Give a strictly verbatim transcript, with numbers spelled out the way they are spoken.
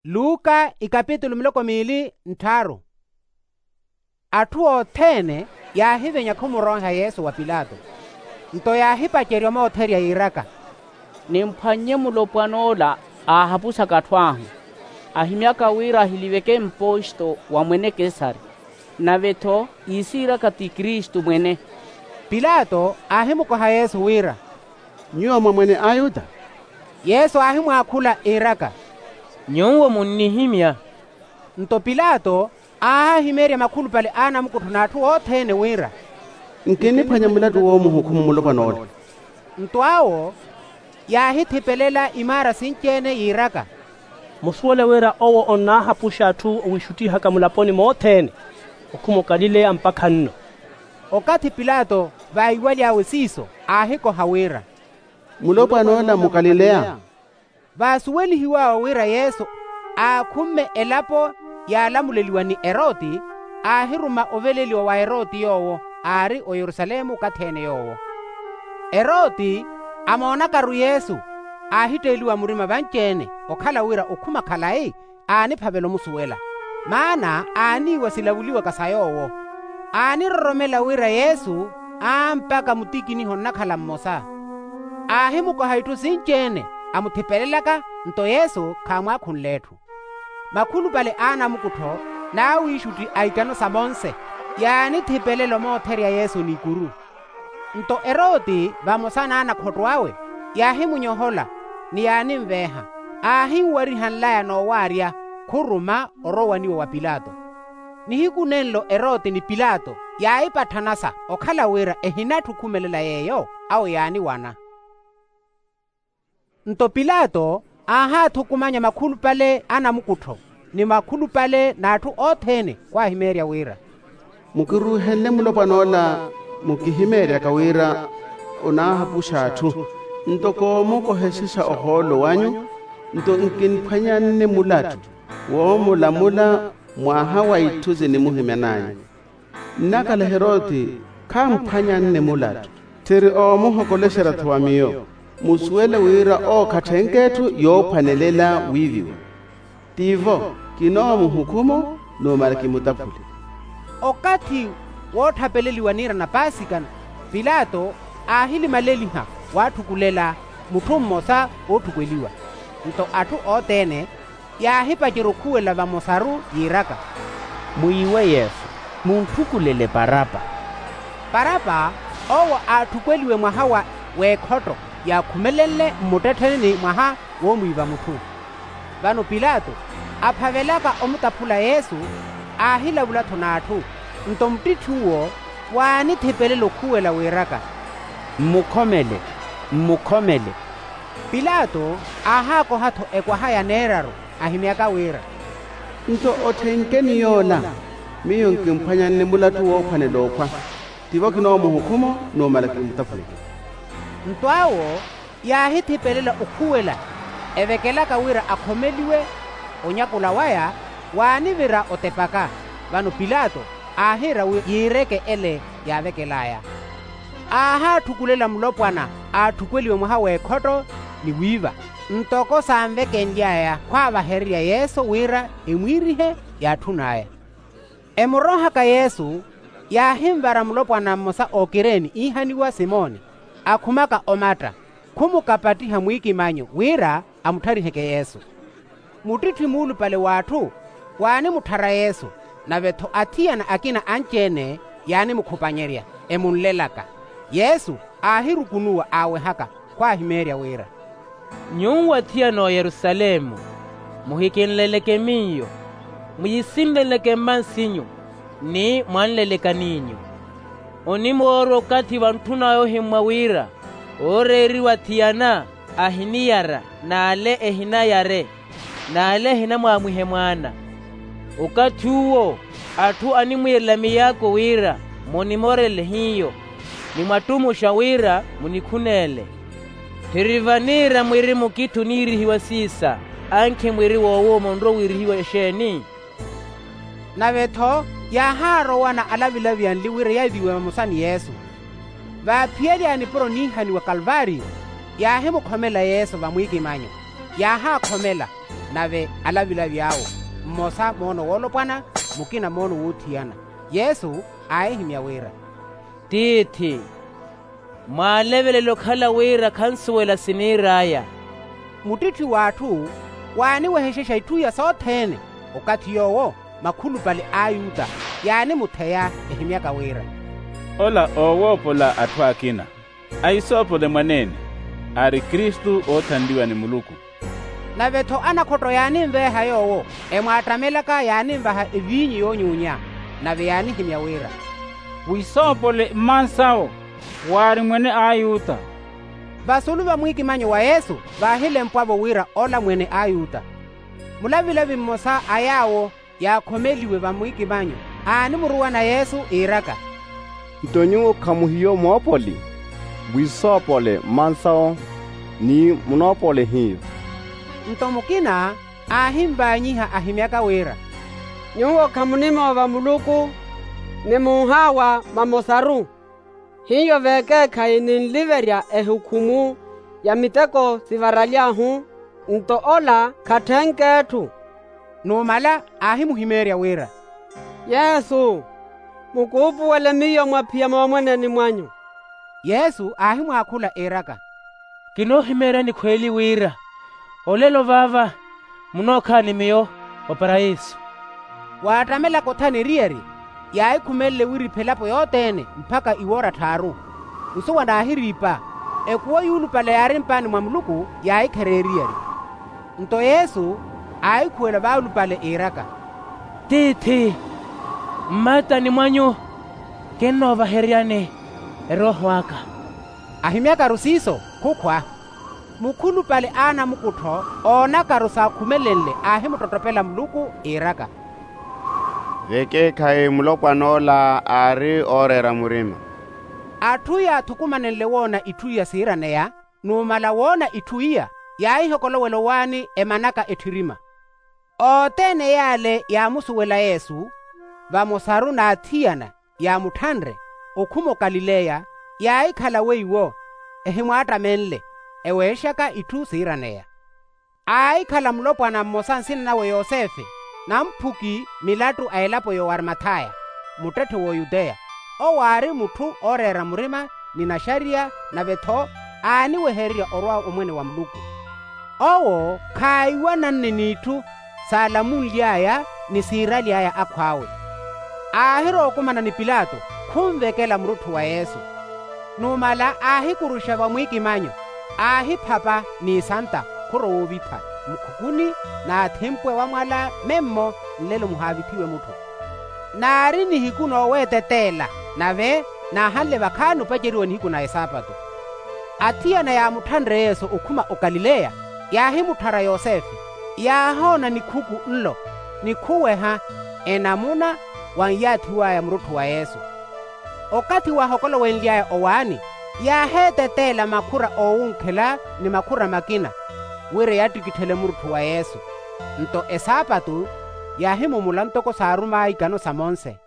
Luka ikapitulu miloko miili ntthaaru. Atthu othene yaahivenya khumurooha yesu wa pilato. Nto yaahipacerya omootherya yiiraka, nimphwannye mulopwan'ola aahapusaka atthu ahu, ahimyaka wira ahiliveke mposto wa mwene kesari, nave-tho iisiiraka ti kristu mwene. Pilato aahimukoha yesu wira, nyuwo mwa mwene ayuda? Yesu aahimwaakhula iiraka, nyuwo munnihimya. Nto pilato aahahimeerya makhulupale a anamukuttho n'atthu othene wira, nkinniphwanya mulattu woomuhukhumu mulopwan'ola. Nto awo yaahithipelela imaara sinci-ene yiiraka, musuwele wira owo onnaahapuxa atthu owiixuttihaka mulaponi mothene, okhuma okalileya mpakha nno. Okathi pilato vaiwaly'awe siiso aahikoha wira, mulopwan'ola mukalileya? Vaasuwelihiw'awe wira yesu aakhumme elapo yaalamuleliwa ni eroti, aahiruma oveleliwa wa eroti yoowo aari oyerusalemu okathi-ene yoowo. Eroti amoonakaru yesu, aahitteeliwa murima vanci-ene okhala wira okhuma khalayi aaniphavela omusuwela, maana aaniiwa silavuliwaka sa yoowo. Aaniroromela wira yesu aampaka mutikiniha onnakhala mmosa. Aahimukoha itthu sinci-ene amuthipelelaka, nto yesu khaamwaakhunle etthu. Makhulupale a anamukuttho n'awiixutti a itano sa monse yaanithipelela omootherya yesu n'ikuru. Nto eroti vamosa n'anakhotto awe yaahimunyohola, ni yaaninveeha, aahinwariha nlaya noowaarya khuruma orowaniwa wa pilato. Nihiku nenlo eroti ni pilato yaahipatthanasa okhala wira ehinatthi okhumelela yeeyo awo yaaniwana. Nto pilato aahaathukumanya makhulupale a anamukuttho ni makhulupale n'atthu othene khwaahimeerya wira, mukiruuhenle mulopwan'ola mukihimeeryaka wira onaahapuxa atthu, nto koomukoha esisa ohoolo wanyu, nto nkinphwanyanne mulattu woomulamula mwaha wa itthu zinimuhimyan'anyu. Nnakhala heroti khamphwanyanne mulattu, tthiri oomuhokolexerya-tho wa miyo. Musuwele wira ookhatthenke etthu yoophwanelela wiiviwa. Tivo kinoomuhukhuma numala kimutaphule. Okathi wootthapeleliwa niira na paasika pilato aahilimaleliha waatthukulela mutthu mmosa ootthukweliwa. Nto atthu othene yaahipacerya okhuwela vamosaru yiiraka, mwiiwe yesu, muntthukulele parapa. Parapa owo aatthukweliwe mwaha wa w'ekhotto yaakhumelenle mmuttettheneni mwaha woomwiiva mutthu. Vano pilato aphavelaka omutaphula yesu aahilavula-tho n'atthu. Nto muttitthi uwo waanithipelela okhuwela wiiraka, mmukhomele, mmukhomele. Pilato aahaakoha-tho ekwaha ya neeraru ahimyaka wira, nto otthenke ni yoola, miyo nkinphwanyanne mulattu woophwanela okhwa. Tivo kinoomuhukhuma numala kimutaphule. Nto awo yaahithipelela okhuwela evekelaka wira akhomeliwe. Onyakula waya waanivira otepaka. Vano pilato aahiira wi yiireke ele yaavekel'aya. Aahaatthukulela mulopwana aatthukeliwe mwaha w'ekhotto ni wiiva, ntoko saanvekenly'aya khwaavahererya yesu wira emwiirihe yaatthun'aya. Emuroohaka yesu yaahinvara mulopwana mmosa ookireeni iihaniwa simoni, akhumaka omatta khumukapattiha mwiikimanyo wira amuttariheke yesu. Muttitthi muulupale w'atthu waanimutthara yesu, nave-tho athiyana akina anci-ene yaanimukhupanyerya emunlelaka. Yesu aahirukunuwa aawehaka khwaahimeerya wira, nyuwo athiyana a oyerusalemu, muhikinleleke miyo, mwiisinleleke mmansinyu ni mwanleleka n'inyu. Onimoorwa okathi vantthun'aya ohimmwa wira ooreeriwa athiyana ahiniyara n'ale ehinayare n'ale ehinamwaamwihe mwaana. Okathi uwo atthu animwiirela miyaako wira munimorele hiyo, ni mwattumuxa wira munikhuneele. Tthiri vaniira mwiri mukitthu oniirihiwa siisa, ankhi mwiri woowo munrowa wiirihiwa exeeni? Nave-tho yaahaarowana alavilavi anli wira yaiviwe vamosa ni yesu. Vaaphiyalyaani puro oniihaniwa kalvaariyo, yaahimukhomela yesu vamwiikimanyo, yaahaakhomela. nave alavilavi awo, mmosa moono woolopwana, mukina moono woothiyana. Yesu aahihimya wira, tiithi, mwaalevelela okhala wira khansuwela siniir'aya. Muttitthi w'atthu waaniwehexexa itthu iya sothene. Okathi yoowo makhulupale a ayuta yaanimutheya, ehimyaka wira, ola oowoopola atthu akina, ahisoopole mwaneene, aari kristu oothanliwa ni muluku. Nave-tho anakhotto yaaninveeha yoowo, emwaattamelaka yaaninvaha eviinyu yoonyuunya. Nave yaanihimya wira, wisoopole mmansawo, waari mwene a ayuta. Vasulu va mwiikimanyo wa yesu vaahilempwa-vo wira ola mwene a ayuta. Mulavilavi mmosa a yaawo yaakhomeliwe va mwiikimanyo aanimuruwana yesu iiraka, nto nyuwo khamuhiyo moopoli? Mwisoopole mmansawo, ni munoopole hiyo. Nto mukina aahinvaanyiha ahimyaka wira, nyuwo khamunimoova muluku, ni munhaawa mamosaru. Hiyo vekeekhayi ninliverya ehukhumu ya miteko sivaraly'ahu, nto ola khatthenk'etthu. Numala aahimuhimeerya wira, yesu, mukuupuwele miyo mwaphiya moomweneni mwanyu. Yesu aahimwaakhula iiraka, kinoohimeeryani khweeli wira olelo vaava munookhala ni miyo oparayiso. Waattamelaka othana eriyari, yaahikhumelele wiriipha elapo yothene mpakha iwoora tthaaru. Nsuwa naahiriipa, ekuwo yuulupale yaari mpaani mwa muluku yaahikherya eriyari. Nto yesu aahikhuwela vaalupale iiraka, tiithi, mmatani mwanyu kinnoovaheryani erooho aka. Ahimyakaru siiso khukhwa. Mukhulupale a anamukuttho oonakaru saakhumelenle aahimuttottopela muluku iiraka, vekeekhayi mulopwan'ola aari ooreera murima. Atthu yaathukumanenle woona itthu iya siiraneya, numala woona itthu iya yaahihokolowela owaani emanaka etthirima. Othene yaale yaamusuwela yesu, vamosaru n'athiyana yaamutthanre okhuma okalileya, yaahikhala weiwo ehimwaattamenle eweexaka itthu siiraneya. Aahikhala mulopwana mmosa nsina nawe yosefe, namphuki milattu a elapo y'owarimathaya, muttetthe w'oyuteya. Owo aari mutthu ooreera murima ni naxariya, nave-tho aaniwehererya orwa omwene wa muluku. Owo khaahiwananne n'itthu saalamunly'aya ni siiraly'aya akhw'awe. Aahirookumana ni pilato khunvekela murutthu wa yesu. Numala aahikuruxa vamwiikimanyo, aahiphapa n'isanta khurowa ovitha mukhukuni, n'athimpwe wamwala memmo nlelo muhaavithiwe mutthu. Naari nihiku nooweeteteela, nave naahanle vakhaani opaceriwa nihiku na esaapatu. Athiyana yaamutthanre yesu okhuma okalileya, yaahimutthara yosefe, yaahoona nikhuku nlo, ni khuweha enamuna wanyaathiw'aya murutthu wa yesu. Okathi waahokolowenly'aya owaani, yaaheeteteela makhura oowunkhela ni makhura makina, wira eyattikitthele murutthu wa yesu. Nto esaapatu yaahimumula ntoko saarum'aya ikano sa monse.